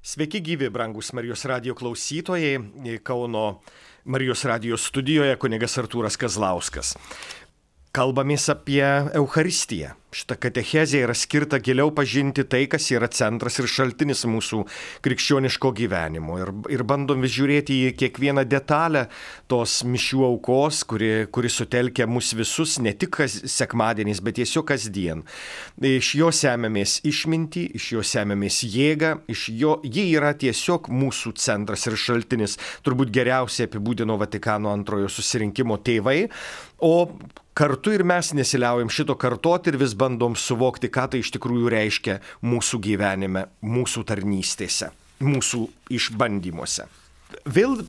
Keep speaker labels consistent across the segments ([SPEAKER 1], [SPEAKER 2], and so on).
[SPEAKER 1] Sveiki gyvi, brangus Marijos radijo klausytojai. Kauno Marijos radijo studijoje kunigas Artūras Kazlauskas. Kalbamės apie Eucharistiją. Šita katechezė yra skirta giliau pažinti tai, kas yra centras ir šaltinis mūsų krikščioniško gyvenimo. Ir bandom vis žiūrėti į kiekvieną detalę tos mišių aukos, kuri sutelkia mus visus, ne tik sekmadieniais, bet tiesiog kasdien. Iš jo semiamės išmintį, iš jo semiamės jėgą, ji yra tiesiog mūsų centras ir šaltinis. Turbūt geriausiai apibūdino Vatikano antrojo susirinkimo tėvai, o kartu ir mes nesiliaujam šito kartoti ir vis bandom suvokti, ką tai iš tikrųjų reiškia mūsų gyvenime, mūsų tarnystėse, mūsų išbandymuose. Vėl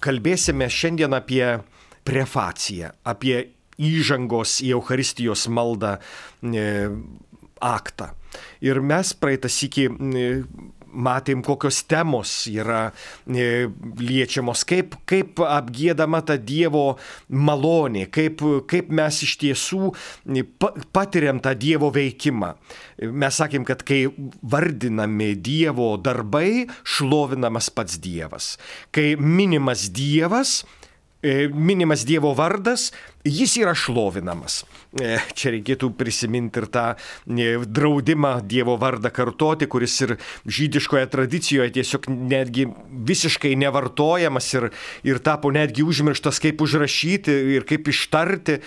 [SPEAKER 1] kalbėsime šiandien apie prefaciją, apie įžangos į Eucharistijos maldą aktą. Ir mes praeitą sykį matėm, kokios temos yra liečiamos, kaip apgiedama ta Dievo malonė, kaip mes iš tiesų patiriam tą Dievo veikimą. Mes sakėm, kad kai vardinami Dievo darbai, šlovinamas pats Dievas. Kai minimas Dievo vardas, jis yra šlovinamas. Čia reikėtų prisiminti ir tą draudimą Dievo vardą kartoti, kuris ir žydiškoje tradicijoje tiesiog netgi visiškai nevartojamas ir tapo netgi užmirštas, kaip užrašyti ir kaip ištarti.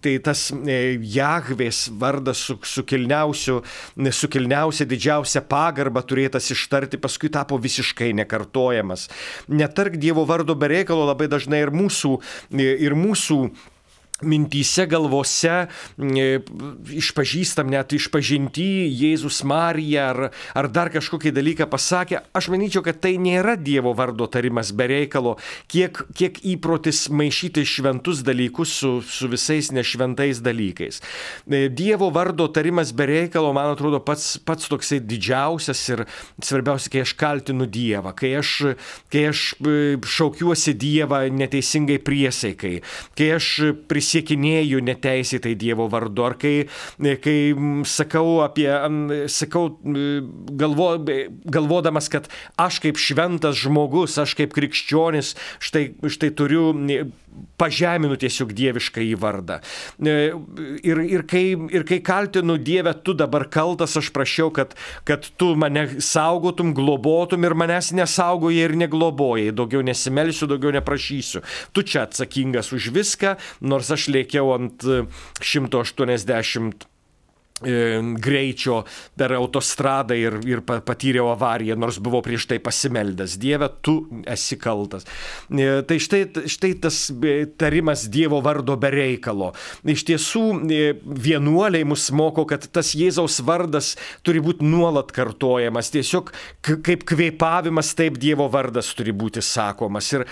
[SPEAKER 1] Tai tas Jahvės vardas su kilniausia didžiausia pagarba turėtas ištarti, paskui tapo visiškai nekartojamas. Netark Dievo vardo be reikalo labai dažnai ir mūsų mintyse, galvose išpažįstam, net išpažinti Jėzus Marija ar dar kažkokį dalyką pasakė. Aš manyčiau, kad tai nėra Dievo vardo tarimas be reikalo, kiek įprotis maišyti šventus dalykus su visais nešventais dalykais. Dievo vardo tarimas be reikalo, man atrodo, pats toksai didžiausias ir svarbiausia, kai aš kaltinu Dievą, kai aš šaukiuosi Dievą neteisingai priesaikai, kai aš prisiekinėju neteisėtai Dievo vardu, ar kai sakau galvodamas, kad aš kaip šventas žmogus, aš kaip krikščionis, štai turiu pažeminu tiesiog dievišką į vardą. Ir kai kaltinu Dievę, tu dabar kaltas, aš prašiau, kad tu mane saugotum, globotum ir manęs nesaugojai ir neglobojai. Daugiau nesimelsiu, daugiau neprašysiu. Tu čia atsakingas už viską, nors aš lėkiau ant 180 greičio per autostradą ir patyriau avariją, nors buvau prieš tai pasimeldęs. Dieve, tu esi kaltas. Tai štai tas tarimas Dievo vardo be reikalo. Iš tiesų, vienuoliai mus moko, kad tas Jėzaus vardas turi būti nuolat kartojamas. Tiesiog kaip kvėpavimas, taip Dievo vardas turi būti sakomas. Ir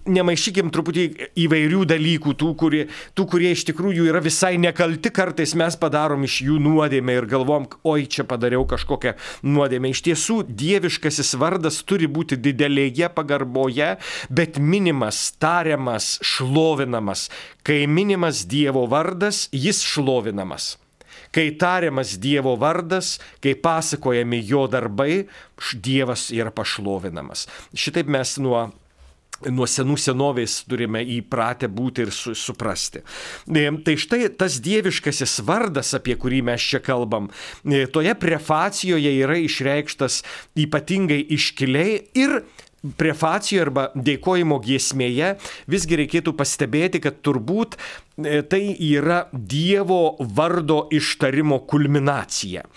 [SPEAKER 1] nemaišykim truputį įvairių dalykų, tų, kurie iš tikrųjų yra visai nekalti, kartais mes padarom iš jų nuodėmę ir galvom, oi, čia padariau kažkokią nuodėmę. Iš tiesų, dieviškasis vardas turi būti didelėje pagarboje, bet minimas, tariamas, šlovinamas. Kai minimas Dievo vardas, jis šlovinamas. Kai tariamas Dievo vardas, kai pasakojami jo darbai, Dievas yra pašlovinamas. Šitaip mes nuo senų senovės turime įpratę būti ir suprasti. Tai štai tas dieviškasis vardas, apie kurį mes čia kalbam, toje prefacijoje yra išreikštas ypatingai iškiliai ir prefacijoje arba dėkojimo giesmėje visgi reikėtų pastebėti, kad turbūt tai yra Dievo vardo ištarimo kulminacija.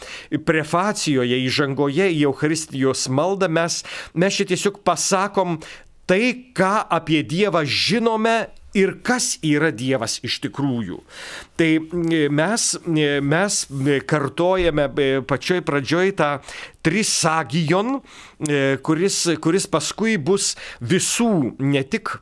[SPEAKER 1] Prefacijoje, įžangoje į Eucharistijos maldą mes čia tiesiog pasakom tai, ką apie Dievą žinome ir kas yra Dievas iš tikrųjų. Tai mes kartojame pačioj pradžioj tą trisagijon, kuris paskui bus visų, ne tik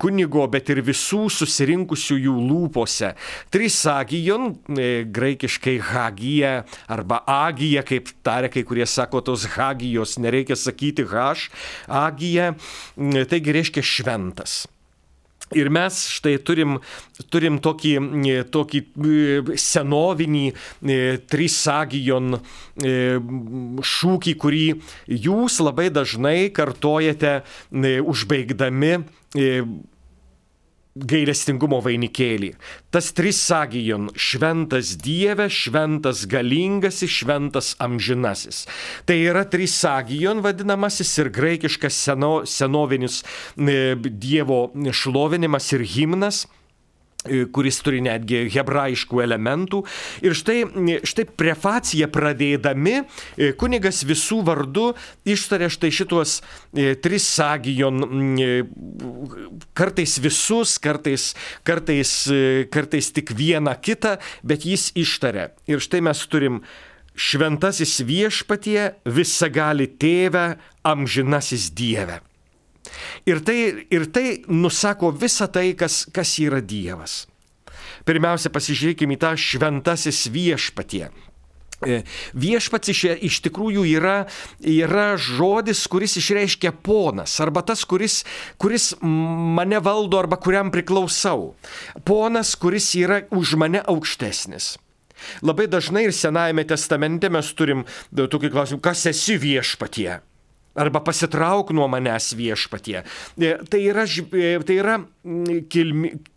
[SPEAKER 1] kunigo, bet ir visų susirinkusiųjų lūpose. Trisagijon, graikiškai hagija arba agija, kaip taria kai kurie sako tos hagijos, nereikia sakyti haš, agija, taigi reiškia šventas. Ir mes štai turim tokį senovinį trisagion šūkį, kurį jūs labai dažnai kartojate užbaigdami gailestingumo vainikėlį. Tas trisagion - šventas Dieve, šventas galingasis, šventas amžinasis. Tai yra trisagion vadinamasis ir graikiškas senovinis Dievo šlovinimas ir himnas, kuris turi netgi hebrajiškų elementų. Ir štai prefaciją pradėdami kunigas visų vardų ištarė štai šitos trisagion, kartais visus, kartais tik vieną kitą, bet jis ištarė. Ir štai mes turim: šventasis Viešpatie, visagali Tėve, amžinasis Dieve. Ir tai nusako visą tai, kas yra Dievas. Pirmiausia, pasižiūrėkime į tą šventasis Viešpatie. Viešpats iš tikrųjų yra žodis, kuris išreiškia ponas, arba tas, kuris mane valdo arba kuriam priklausau. Ponas, kuris yra už mane aukštesnis. Labai dažnai ir Senajame testamente mes turim tokį klausimą: kas esi Viešpatie? Arba pasitrauk nuo manęs Viešpatie. Tai yra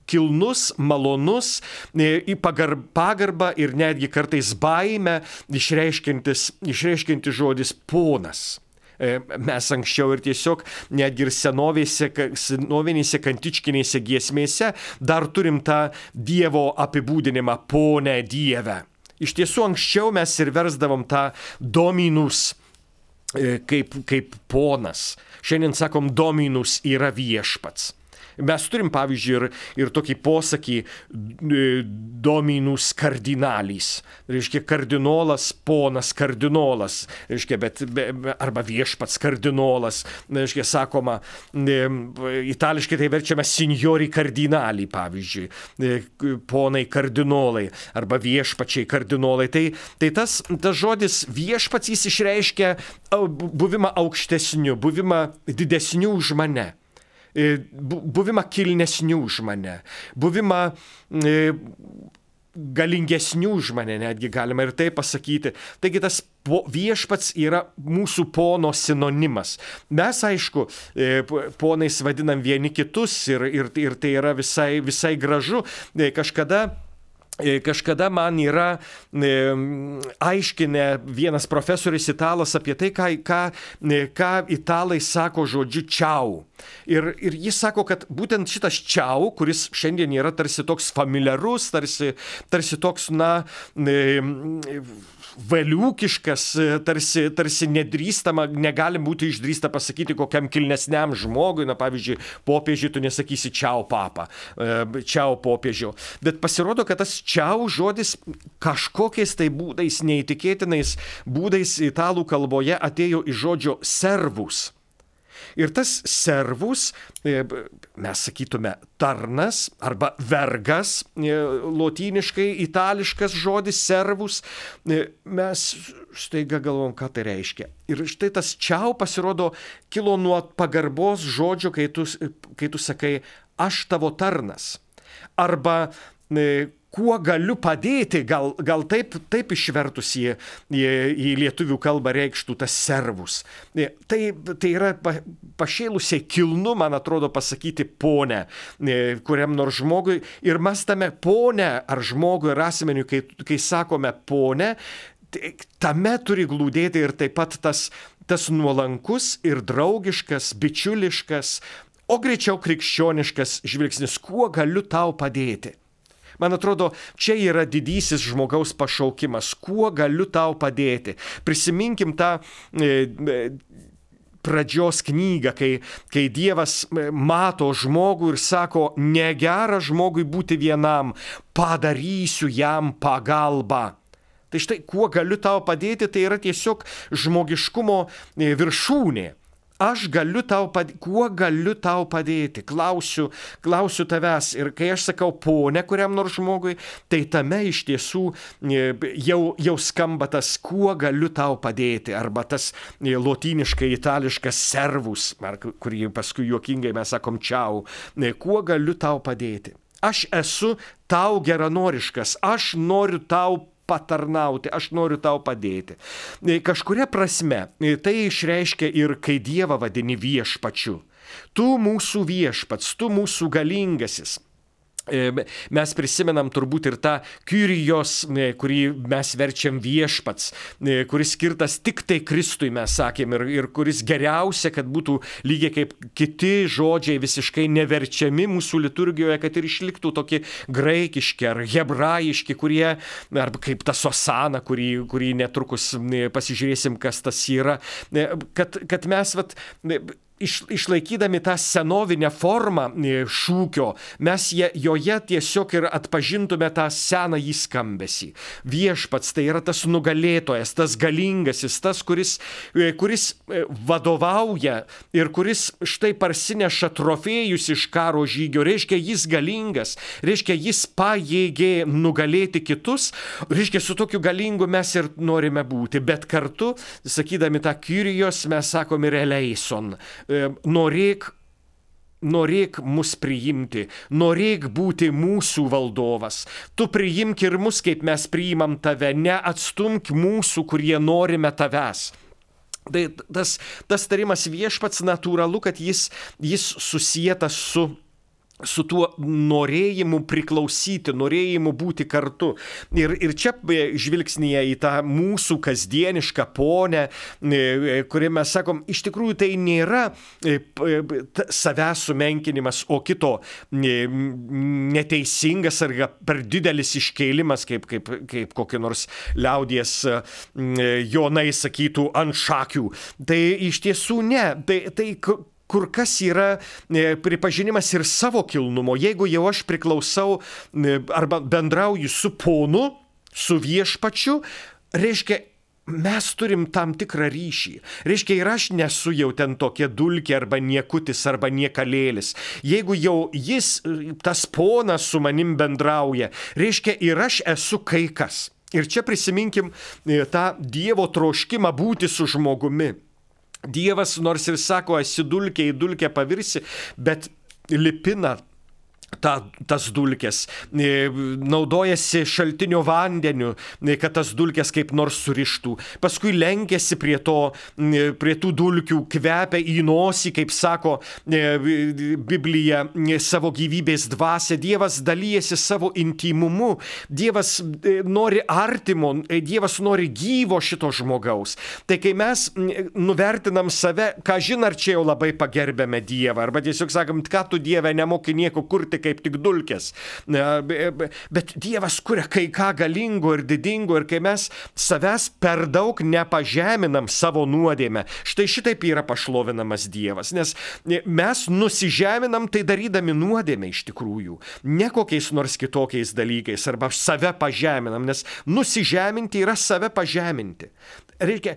[SPEAKER 1] kilnus, malonus, į pagarbą ir netgi kartais baimę išreiškiantis žodis ponas. Mes anksčiau ir tiesiog netgi ir senovinėse kantičkinėse giesmėse dar turim tą Dievo apibūdinimą pone Dieve. Iš tiesų anksčiau mes ir versdavom tą dominus kaip ponas. Šiandien sakom, dominus yra viešpats. Mes turim, pavyzdžiui, ir tokį posakį dominus kardinalis. Reiškia, kardinolas, ponas kardinolas. Reiškia, arba viešpats kardinolas. Reiškia, sakoma, itališkai tai verčiame signori kardinali, pavyzdžiui. Ponai kardinolai arba viešpačiai kardinolai. Tai tas žodis viešpats, jis išreiškia buvimą aukštesniu, buvimą didesniu už mane. Buvimą kilnesnių už mane, buvimą galingesnių už mane, netgi galima ir tai pasakyti. Taigi tas viešpats yra mūsų pono sinonimas. Mes, aišku, ponais vadinam vieni kitus ir tai yra visai gražu. Kažkada man yra aiškinę vienas profesorius italas apie tai, ką italai sako žodžiu čiau. Ir jis sako, kad būtent šitas čiau, kuris šiandien yra tarsi toks familiarus, tarsi toks, valiūkiškas, tarsi nedrįstama, negali būti išdrįsta pasakyti kokiam kilnesniam žmogui, pavyzdžiui, popiežiui tu nesakysi čiau papa, čiau popiežiau. Bet pasirodo, kad tas čiau žodis kažkokiais tai būdais, neįtikėtinais būdais italų kalboje atėjo iš žodžio servus. Ir tas servus, mes sakytume tarnas arba vergas, lotyniškai itališkas žodis servus, mes staiga galvom, ką tai reiškia. Ir štai tas čiau pasirodo kilo nuo pagarbos žodžio, kai tu sakai aš tavo tarnas. Arba kuo galiu padėti, gal taip išvertus į lietuvių kalbą reikštų tas servus. Tai yra pašėlusiai kilnu, man atrodo, pasakyti ponę kuriam nors žmogui. Ir mes tame ponę ar žmogui ar asmeniu, kai sakome ponę, tame turi glūdėti ir taip pat tas nuolankus ir draugiškas, bičiuliškas, o greičiau krikščioniškas žvilgsnis, kuo galiu tau padėti. Man atrodo, čia yra didysis žmogaus pašaukimas, kuo galiu tau padėti. Prisiminkim tą pradžios knygą, kai Dievas mato žmogų ir sako, negera žmogui būti vienam, padarysiu jam pagalbą. Tai štai, kuo galiu tau padėti, tai yra tiesiog žmogiškumo viršūnė. aš galiu tau padėti, kuo galiu tau padėti, klausiu tavęs. Ir kai aš sakau ponė kuriam nors žmogui, tai tame iš tiesų jau skamba tas, kuo galiu tau padėti, arba tas lotyniškai itališkas servus, kurį paskui juokingai mes sakom čiau, kuo galiu tau padėti. Aš esu tau geranoriškas, aš noriu tau patarnauti, aš noriu tau padėti. Kažkuria prasme tai išreiškia ir kai Dievą vadini viešpačiu. Tu mūsų viešpats, tu mūsų galingasis. Mes prisimenam turbūt ir tą Kyrijos, kurį mes verčiam viešpats, kuris skirtas tik tai Kristui, mes sakėm, ir kuris geriausia, kad būtų lygiai kaip kiti žodžiai visiškai neverčiami mūsų liturgijoje, kad ir išliktų tokie graikiški ar hebrajiški, kurie, arba kaip tas osana, kurį netrukus pasižiūrėsim, kas tas yra, kad mes išlaikydami tą senovinę formą šūkio, mes joje tiesiog ir atpažintume tą senąjį skambesį. Viešpats tai yra tas nugalėtojas, tas galingasis, tas, kuris vadovauja ir kuris štai parsineša trofėjus iš karo žygio. Reiškia, jis galingas, reiškia, jis pajėgė nugalėti kitus, reiškia, su tokiu galingu mes ir norime būti. Bet kartu, sakydami tą Kyrijos, mes sakom ir eleison. Norėk mus priimti, norėk būti mūsų valdovas. Tu priimk ir mus, kaip mes priimam tave, neatstumk mūsų, kurie norime tavęs. Tai tas tarimas viešpats natūralu, kad jis susietas su tuo norėjimu priklausyti, norėjimu būti kartu. Ir čia žvilgsnėje į tą mūsų kasdienišką ponę, kurį mes sakom, iš tikrųjų tai nėra savęs sumenkinimas, o kito neteisingas ar per didelis iškėlimas, kaip kokie nors liaudies jonai sakytų ant šakių. Tai iš tiesų ne. Tai kur kas yra pripažinimas ir savo kilnumo. Jeigu jau aš priklausau arba bendrauju su ponu, su viešpačiu, reiškia, mes turim tam tikrą ryšį. Reiškia, ir aš nesu jau ten tokia dulkė arba niekutis arba niekalėlis. Jeigu jau jis, tas ponas su manim bendrauja, reiškia, ir aš esu kai kas. Ir čia prisiminkim tą Dievo troškimą būti su žmogumi. Dievas nors ir sako, esi dulkė, į dulkę pavirsi, bet lipina tas dulkės, naudojasi šaltinio vandeniu, kad tas dulkės kaip nors surištų. Paskui lenkėsi prie tų dulkių, kvepia į nosį, kaip sako Biblija, savo gyvybės dvasia. Dievas dalyjasi savo intimumu. Dievas nori artimo, Dievas nori gyvo šito žmogaus. Tai kai mes nuvertinam save, ką žin, ar čia jau labai pagerbėme Dievą, arba tiesiog sakom, ką tu Dieve nemoki nieko kurti, kaip tik dulkės. Bet Dievas kuria kai ką galingo ir didingo, ir kai mes savęs per daug nepažeminam savo nuodėmę, štai šitaip yra pašlovinamas Dievas, nes mes nusižeminam tai darydami nuodėmę iš tikrųjų, ne kokiais nors kitokiais dalykais, arba save pažeminam, nes nusižeminti yra save pažeminti. Reikia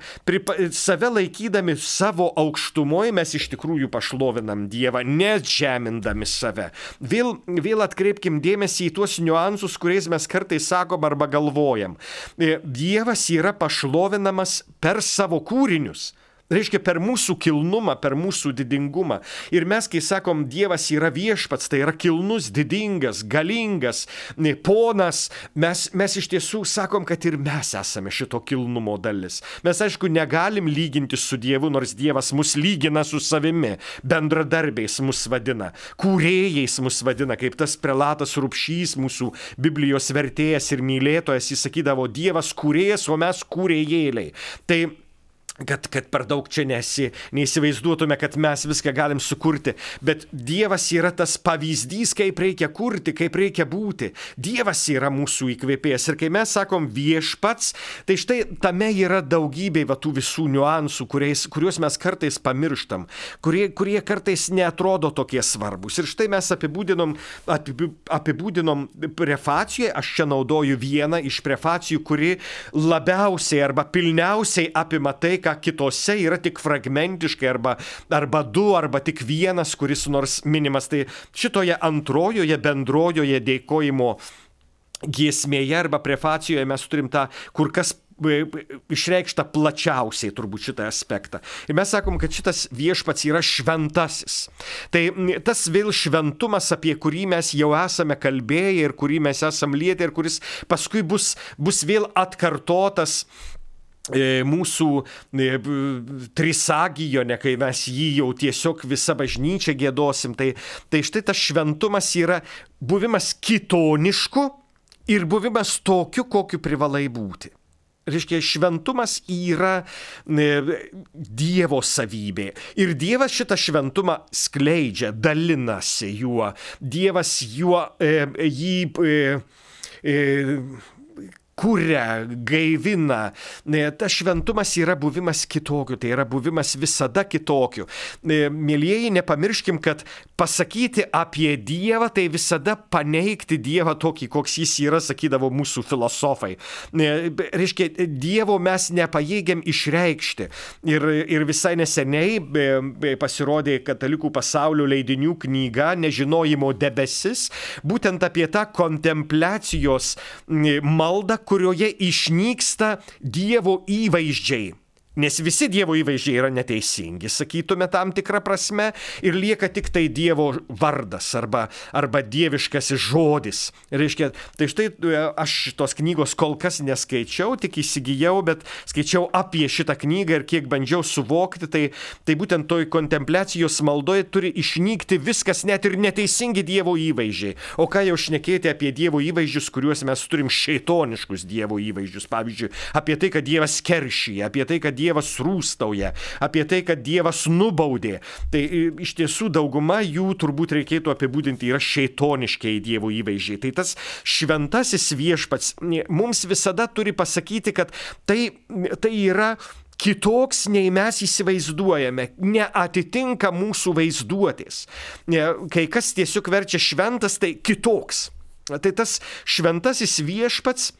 [SPEAKER 1] save laikydami savo aukštumoje, mes iš tikrųjų pašlovinam Dievą, nežemindami save. Vėl atkreipkim dėmesį į tuos niuansus, kuriais mes kartais sakom arba galvojam. Dievas yra pašlovinamas per savo kūrinius. Reiškia, per mūsų kilnumą, per mūsų didingumą. Ir mes, kai sakom, Dievas yra viešpats, tai yra kilnus, didingas, galingas, ponas, mes iš tiesų sakom, kad ir mes esame šito kilnumo dalis. Mes, aišku, negalim lyginti su Dievu, nors Dievas mus lygina su savimi, bendradarbiais mus vadina, kūrėjais mus vadina, kaip tas prelatas Rupšys, mūsų Biblijos vertėjas ir mylėtojas, jis sakydavo, Dievas kūrėjas, o mes kūrėjėliai. Tai kad per daug čia neįsivaizduotume, kad mes viską galim sukurti, bet Dievas yra tas pavyzdys, kaip reikia kurti, kaip reikia būti. Dievas yra mūsų įkvėpėjas. Ir kai mes sakom viešpats, tai štai tame yra daugybė tų visų niuansų, kuriuos mes kartais pamirštam, kurie kartais neatrodo tokie svarbus. Ir štai mes apibūdinom prefacijoje, aš čia naudoju vieną iš prefacijų, kuri labiausiai arba pilniausiai apima tai, ką kitose yra tik fragmentiškai arba du, arba tik vienas, kuris nors minimas. Tai šitoje antrojoje bendrojoje dėkojimo giesmėje arba prefacijoje mes turim tą kur kas išreikšta plačiausiai turbūt šitą aspektą. Ir mes sakom, kad šitas viešpats yra šventasis. Tai tas vėl šventumas, apie kurį mes jau esame kalbėję ir kurį mes esam lietę ir kuris paskui bus vėl atkartotas mūsų trisagijone, kai mes jį jau tiesiog visą bažnyčią giedosim. Tai štai tas šventumas yra buvimas kitonišku ir buvimas tokiu, kokiu privalai būti. Reiškia, šventumas yra Dievo savybė. Ir Dievas šitą šventumą skleidžia, dalinasi juo. Dievas jį kuria, gaivina. Tas šventumas yra buvimas kitokiu, tai yra buvimas visada kitokiu. Mėlyjeji, nepamirškim, kad pasakyti apie Dievą, tai visada paneigti Dievą tokį, koks jis yra, sakydavo mūsų filosofai. Reiškia, Dievo mes nepajėgiam išreikšti. Ir visai neseniai pasirodė Katalikų pasaulio leidinių knyga Nežinojimo debesis, būtent apie tą kontempliacijos maldą, kurioje išnyksta Dievo įvaizdžiai. Nes visi Dievo įvaizdžiai yra neteisingi, sakytume tam tikrą prasme, ir lieka tik tai Dievo vardas arba dieviškasis žodis. Reiškia, tai štai aš tos knygos kol kas neskaičiau, tik įsigijau, bet skaičiau apie šitą knygą ir kiek bandžiau suvokti, tai būtent toj kontempliacijos maldoje turi išnykti viskas, net ir neteisingi Dievo įvaizdžiai. O ką jau šnekėti apie Dievo įvaizdžius, kuriuos mes turim šeitoniškus Dievo įvaizdžius. Pavyzdžiui, apie tai, kad Dievas keršyja, apie tai, kad Dievas rūstauja, apie tai, kad Dievas nubaudė. Tai iš tiesų dauguma jų turbūt reikėtų apibūdinti yra šeitoniškiai Dievo įvaizdžiai. Tai tas šventasis viešpats mums visada turi pasakyti, kad tai yra kitoks, nei mes įsivaizduojame, neatitinka mūsų vaizduotės. Kai kas tiesiog verčia šventas, tai kitoks. Tai tas šventasis viešpats,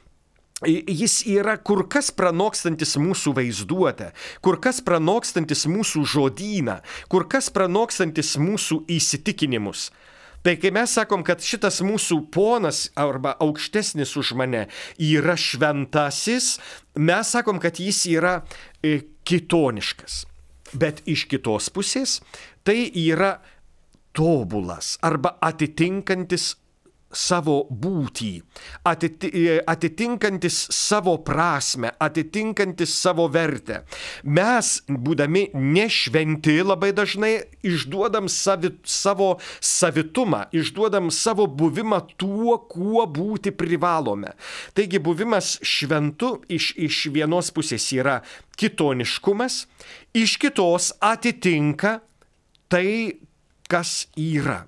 [SPEAKER 1] jis yra kur kas pranokstantis mūsų vaizduotę, kur kas pranokstantis mūsų žodyną, kur kas pranokstantis mūsų įsitikinimus. Tai kai mes sakom, kad šitas mūsų ponas arba aukštesnis už mane yra šventasis, mes sakom, kad jis yra kitoniškas. Bet iš kitos pusės tai yra tobulas arba atitinkantis savo būtį, atitinkantis savo prasme, atitinkantis savo vertę. Mes, būdami nešventi, labai dažnai išduodam savo savitumą, išduodam savo buvimą tuo, kuo būti privalome. Taigi buvimas šventu iš vienos pusės yra kitoniškumas, iš kitos atitinka tai, kas yra.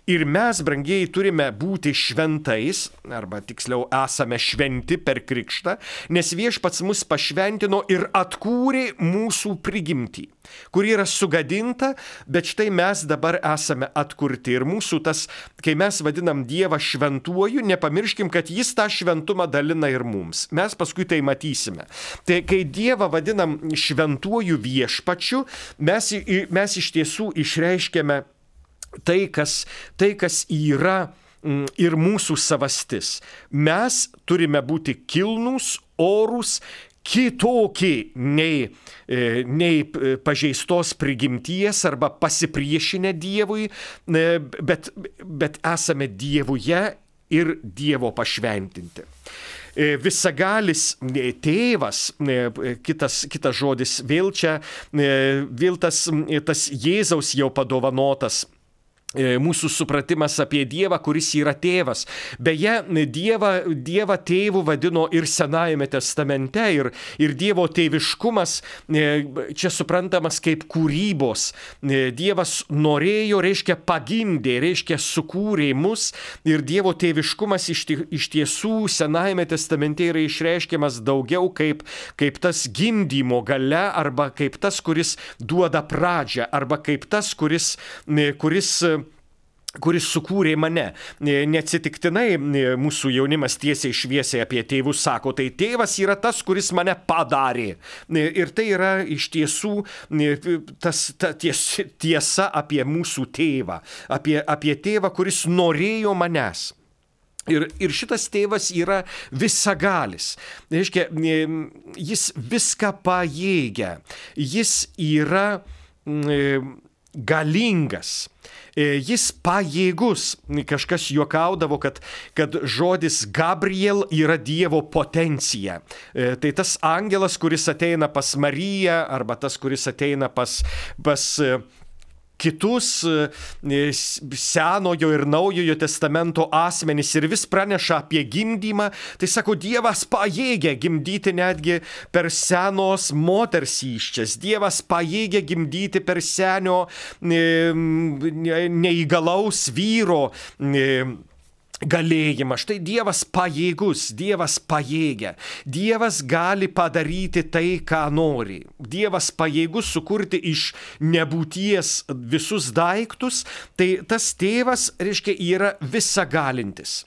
[SPEAKER 1] Ir mes, brangieji, turime būti šventais, arba tiksliau esame šventi per krikštą, nes viešpats mus pašventino ir atkūrė mūsų prigimtį, kuri yra sugadinta, bet štai mes dabar esame atkurti. Ir mūsų tas, kai mes vadinam Dievą šventuoju, nepamirškim, kad jis tą šventumą dalina ir mums. Mes paskui tai matysime. Tai kai Dievą vadinam šventuoju viešpačiu, mes iš tiesų išreiškiame tai, kas yra ir mūsų savastis. Mes turime būti kilnūs, orūs, kitokie nei pažeistos prigimties arba pasipriešinę Dievui, bet esame Dievuje ir Dievo pašventinti. Visagalis tėvas, kitas žodis, vėl tas Jėzaus jau padovanotas mūsų supratimas apie Dievą, kuris yra tėvas. Beje, Dievą tėvu vadino ir Senajame testamente, ir Dievo tėviškumas čia suprantamas kaip kūrybos. Dievas norėjo, reiškia pagimdė, reiškia sukūrė mus, ir Dievo tėviškumas iš tiesų Senajame testamente yra išreiškiamas daugiau kaip tas gimdymo galia, arba kaip tas, kuris duoda pradžią, arba kaip tas, kuris kuris sukūrė mane. Neatsitiktinai mūsų jaunimas tiesiai šviesiai apie tėvus sako, tai tėvas yra tas, kuris mane padarė. Ir tai yra iš tiesų tiesa apie mūsų tėvą, apie tėvą, kuris norėjo manęs. Ir šitas tėvas yra visagalis. Reiškia, jis viską pajėgia. Jis yra galingas. Jis pajėgus. Kažkas juokaudavo, kad žodis Gabriel yra Dievo potencija. Tai tas angelas, kuris ateina pas Mariją, arba tas, kuris ateina pas kitus Senojo ir Naujojo testamento asmenys ir vis praneša apie gimdymą, tai sako, Dievas pajėgia gimdyti netgi per senos moters įsčias. Dievas pajėgia gimdyti per senio neįgalaus vyro galėjimą. Štai Dievas pajėgus, Dievas pajėgia. Dievas gali padaryti tai, ką nori. Dievas pajėgus sukurti iš nebūties visus daiktus, tai tas tėvas, reiškia, yra visagalintis.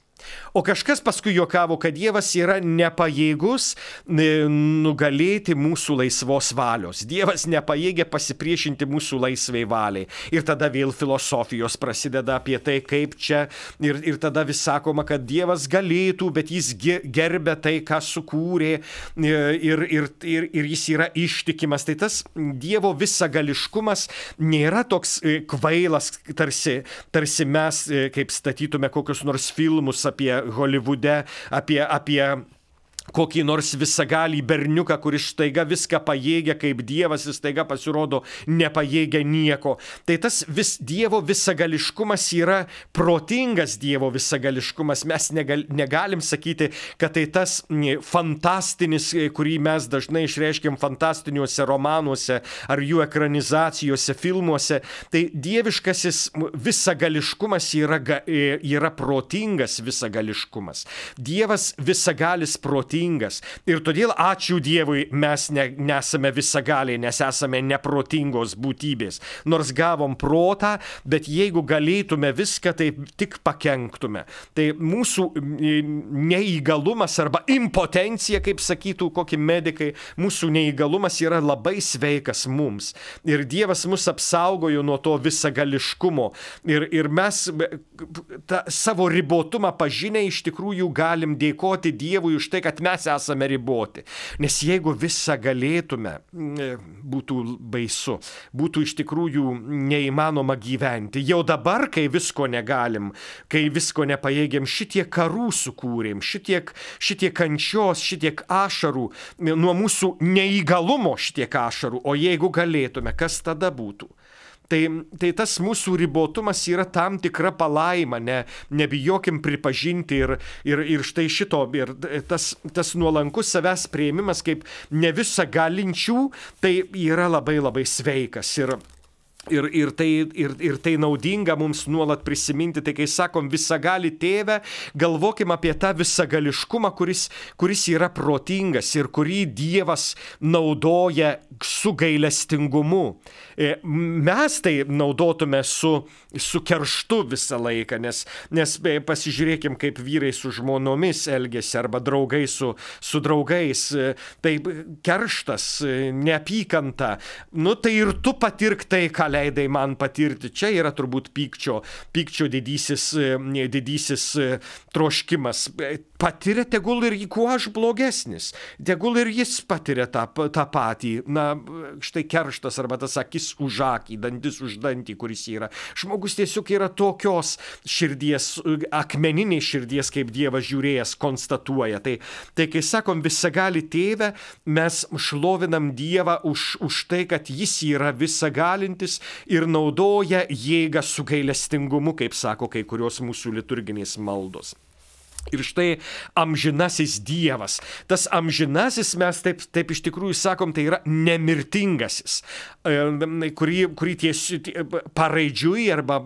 [SPEAKER 1] O kažkas paskui juokavo, kad Dievas yra nepajėgus nugalėti mūsų laisvos valios. Dievas nepajėgia pasipriešinti mūsų laisvai valiai. Ir tada vėl filosofijos prasideda apie tai, kaip čia. Ir tada vis sakoma, kad Dievas galėtų, bet jis gerbia tai, ką sukūrė. Ir jis yra ištikimas. Tai tas Dievo visagališkumas nėra toks kvailas, tarsi mes, kaip statytume kokius nors filmus apie Holivude, apie kokį nors visagalį berniuką, kuris staiga viską pajėgia kaip Dievas, jis staiga pasirodo nepajėgia nieko. Tai tas Dievo visagališkumas yra protingas Dievo visagališkumas. Mes negalim sakyti, kad tai tas fantastinis, kurį mes dažnai išreiškiam fantastiniuose romanuose ar jų ekranizacijose, filmuose. Tai dieviškasis visagališkumas yra protingas visagališkumas. Dievas visagalis protingas. Ir todėl ačiū Dievui mes nesame visagaliai, nes esame neprotingos būtybės. Nors gavom protą, bet jeigu galėtume viską, tai tik pakenktume. Tai mūsų neįgalumas arba impotencija, kaip sakytų kokie medikai, mūsų neįgalumas yra labai sveikas mums. Ir Dievas mus apsaugojo nuo to visagališkumo. Ir mes savo ribotumą pažinę iš tikrųjų galim dėkoti Dievui už tai, kad mes esame riboti. Nes jeigu visą galėtume, būtų baisu, būtų iš tikrųjų neįmanoma gyventi. Jau dabar, kai visko negalim, kai visko nepajėgiam, šitiek karų sukūrėm, šitiek kančios, šitiek ašarų, nuo mūsų neįgalumo šitiek ašarų, o jeigu galėtume, kas tada būtų? Tai tas mūsų ribotumas yra tam tikra palaima, nebijokim pripažinti ir štai šito, ir tas nuolankus savęs priėmimas kaip ne visą galinčių, tai yra labai labai sveikas. Ir tai naudinga mums nuolat prisiminti, tai kai sakom visagali tėve, galvokim apie tą visagališkumą, kuris yra protingas ir kurį Dievas naudoja su gailestingumu. Mes tai naudotume su kerštu visą laiką, nes pasižiūrėkim, kaip vyrai su žmonomis elgiasi arba draugai su draugais. Tai kerštas, neapykanta, tai ir tu patirk tai, ką leidai man patirti. Čia yra turbūt pykčio didysis troškimas. Patiria tegul ir kuo aš blogesnis. Tegul ir jis patiria tą patį. Štai kerštas arba tas akis už akį, dantis už dantį, kuris yra. Žmogus tiesiog yra tokios širdies, akmeninės širdies, kaip Dievas žiūrėjęs konstatuoja. Tai kai sakom visagali tėve, mes šlovinam Dievą už tai, kad jis yra visagalintis ir naudoja jėgą su gailestingumu, kaip sako kai kurios mūsų liturginės maldos. Ir štai amžinasis Dievas. Tas amžinasis, mes taip iš tikrųjų sakom, tai yra nemirtingasis, kurį paraidžiui arba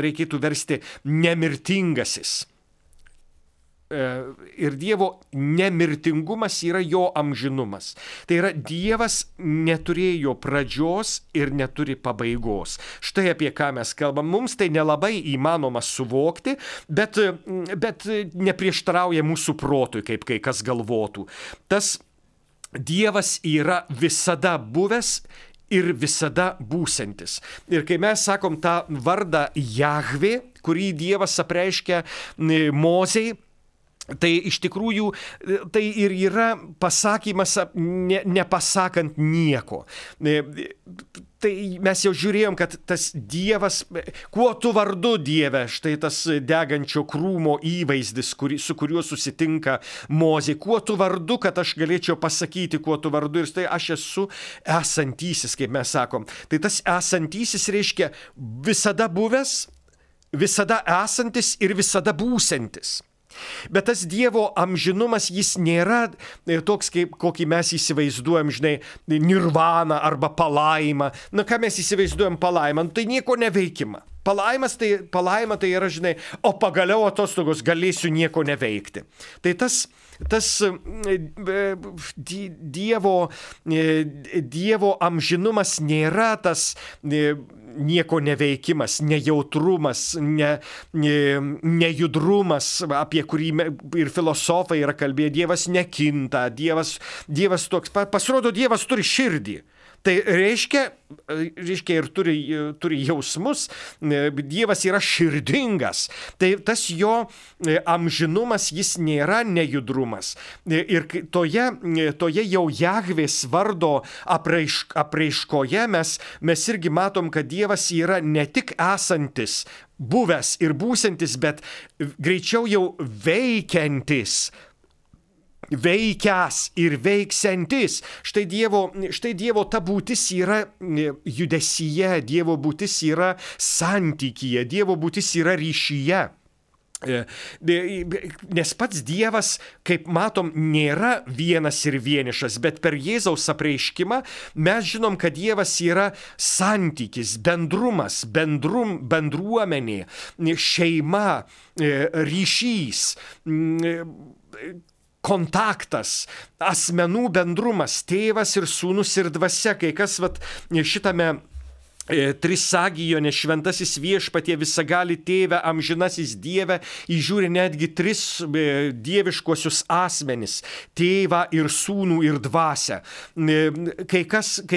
[SPEAKER 1] reikėtų versti nemirtingasis. ir Dievo nemirtingumas yra jo amžinumas. Tai yra, Dievas neturėjo pradžios ir neturi pabaigos. Štai apie ką mes kalbam. Mums tai nelabai įmanoma suvokti, bet neprieštarauja mūsų protui, kaip kai kas galvotų. Tas Dievas yra visada buvęs ir visada būsiantis. Ir kai mes sakom tą vardą Jahvė, kurį Dievas apreiškia Mozei, tai iš tikrųjų tai ir yra pasakymas nepasakant nieko. Tai mes jau žiūrėjom, kad tas Dievas, kuo tu vardu Dieve, štai tas degančio krūmo įvaizdis, su kuriuo susitinka Mozė, kuo tu vardu, kad aš galėčiau pasakyti, kuo tu vardu, ir štai aš esu esantysis, kaip mes sakom. Tai tas esantysis reiškia visada buvęs, visada esantis ir visada būsiantis. Bet tas Dievo amžinumas, jis nėra toks, kaip kokį mes įsivaizduojam, žinai, nirvana arba palaima. Na, ką mes įsivaizduojam palaimą? Tai nieko neveikima. Palaima tai yra, žinai, o pagaliau atostogos galėsiu nieko neveikti. Tai tas Dievo amžinumas nėra tas nieko neveikimas, nejautrumas, nejudrumas, apie kurį ir filosofai yra kalbėję. Dievas nekinta, Dievas toks, pasirodo, Dievas turi širdį. Tai reiškia ir turi jausmus, Dievas yra širdingas. Tai tas jo amžinumas, jis nėra nejudrumas. Ir toje jau Jahvės vardo apraiškoje mes irgi matom, kad Dievas yra ne tik esantis, buvęs ir būsiantis, bet greičiau jau veikiantis. Veikias ir veiksiantis. Štai Dievo ta būtis yra judesyje, Dievo būtis yra santykyje, Dievo būtis yra ryšyje. Nes pats Dievas, kaip matom, nėra vienas ir vienišas, bet per Jėzaus apreiškimą mes žinom, kad Dievas yra santykis, bendrumas, bendruomenė, šeima, ryšys, kontaktas, asmenų bendrumas, tėvas ir sūnus ir dvasia. Kai kas šitame Trisagijone šventasis viešpatie visagali tėve, amžinasis Dieve, įžiūri netgi tris dieviškuosius asmenis - tėvą ir sūnų ir dvasią. Kai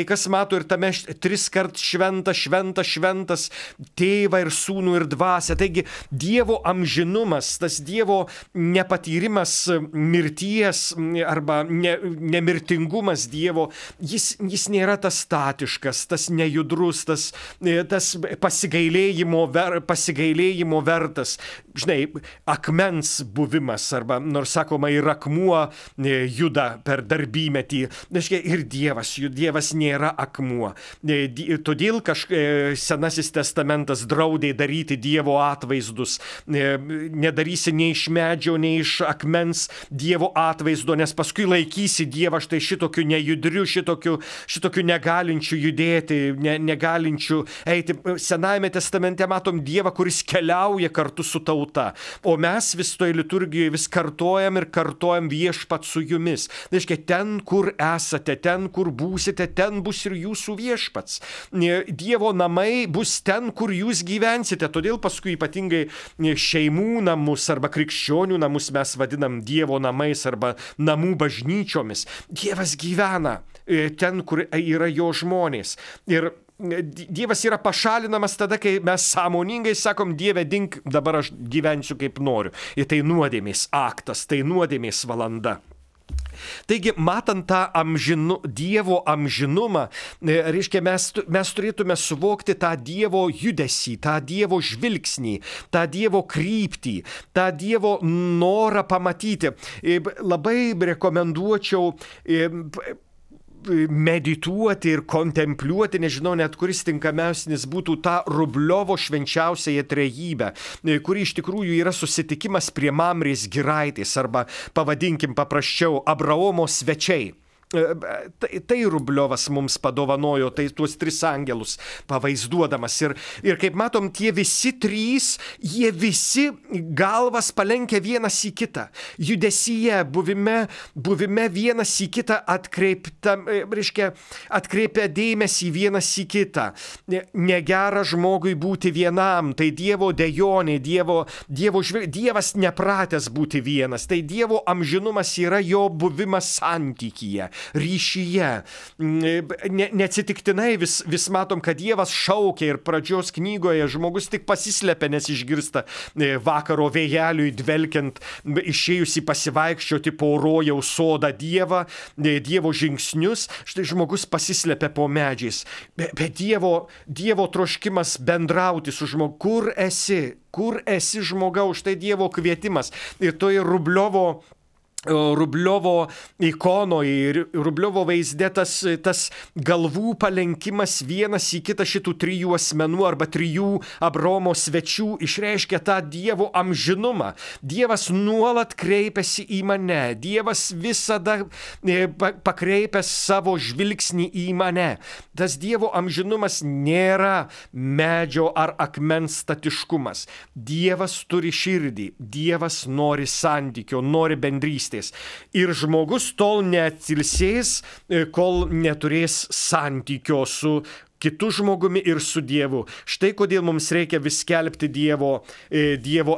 [SPEAKER 1] kas mato ir tame triskart šventas tėvą ir sūnų ir dvasią. Taigi Dievo amžinumas, tas Dievo nepatyrimas mirties arba nemirtingumas Dievo, jis nėra tas statiškas, tas nejudrus, tas pasigailėjimo vertas, žinai, akmens buvimas, arba, nors sakoma, ir akmuo juda per darbymetį. Ir Dievas nėra akmuo. Todėl Senasis testamentas draudė daryti Dievo atvaizdus. Nedarysi nei iš medžio, nei iš akmens Dievo atvaizdo, nes paskui laikysi Dievą štai šitokiu nejudriu, šitokiu negalinčiu judėti, negalinčiu eiti. Senajame testamente matom Dievą, kuris keliauja kartu su tauta. O mes vis toje liturgijoje vis kartojam viešpat su jumis. Tai reiškia, ten, kur esate, ten, kur būsite, ten bus ir jūsų viešpats. Dievo namai bus ten, kur jūs gyvensite. Todėl paskui ypatingai šeimų namus arba krikščionių namus mes vadinam Dievo namais arba namų bažnyčiomis. Dievas gyvena ten, kur yra jo žmonės. Ir Dievas yra pašalinamas tada, kai mes sąmoningai sakom, Dieve, dink, dabar aš gyvensiu kaip noriu. Ir tai nuodėmės aktas, tai nuodėmės valanda. Taigi, matant tą Dievo amžinumą, reiškia, mes turėtume suvokti tą Dievo judesį, tą Dievo žvilgsnį, tą Dievo kryptį, tą Dievo norą pamatyti. Labai rekomenduočiau medituoti ir kontempliuoti, nežinau net kuris tinkamiausias būtų tą Rubliovo švenčiausiąją trejybę, kuri iš tikrųjų yra susitikimas prie Mamrės giraitės arba, pavadinkim paprasčiau, Abraomo svečiai. Tai Rubliovas mums padovanojo, tai tuos 3 angelus pavaizduodamas. Ir kaip matom, tie visi 3, jie visi galvas palenkia vienas į kitą. Judesyje, buvime vienas į kitą atkreipia dėmesį vienas į kitą. Negera žmogui būti vienam, tai Dievo dejonė, Dievas nepratęs būti vienas, tai Dievo amžinumas yra jo buvimas santykyje, ryšyje. Neatsitiktinai vis matom, kad Dievas šaukia ir pradžios knygoje žmogus tik pasislepia, nes išgirsta vakaro vėjeliui dvelkiant, išėjusi pasivaikščioti po rojaus sodą Dievo žingsnius, štai žmogus pasislepia po medžiais. Bet Dievo troškimas bendrauti su žmogu. Kur esi žmogau, štai Dievo kvietimas. Ir toje Rubliovo ikonoje ir Rubliovo vaizde tas galvų palenkimas vienas į kitą šitų 3 asmenų arba 3 Abraomo svečių išreiškia tą Dievo amžinumą. Dievas nuolat kreipiasi į mane. Dievas visada pakreipęs savo žvilgsnį į mane. Tas Dievo amžinumas nėra medžio ar akmens statiškumas. Dievas turi širdį. Dievas nori santykio, nori bendrystės. Ir žmogus tol neatsilsės, kol neturės santykio su kitu žmogumi ir su Dievu. Štai kodėl mums reikia vis skelbti Dievo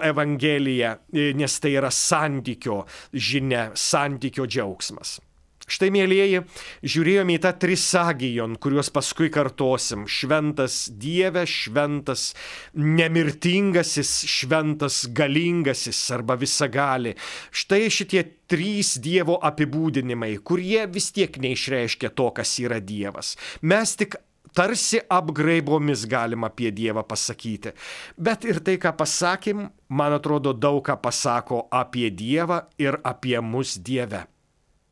[SPEAKER 1] evangeliją, nes tai yra santykio žinia, santykio džiaugsmas. Štai, mielieji, žiūrėjome į tą trisagijon, kuriuos paskui kartosim. Šventas Dieve, šventas nemirtingasis, šventas galingasis arba visagali. Štai šitie 3 Dievo apibūdinimai, kurie vis tiek neišreiškia to, kas yra Dievas. Mes tik tarsi apgraibomis galim apie Dievą pasakyti. Bet ir tai, ką pasakėm, man atrodo, daug ką pasako apie Dievą ir apie mus Dieve.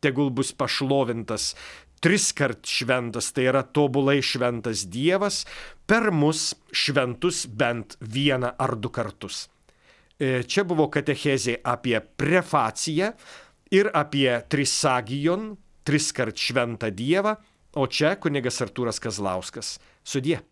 [SPEAKER 1] Tegul bus pašlovintas 3-kart šventas, tai yra tobulai šventas Dievas, per mus šventus bent 1 ar 2 kartus. Čia buvo katechezė apie prefaciją ir apie trisagijon, 3-kart šventą Dievą, o čia kunigas Artūras Kazlauskas. Sudie.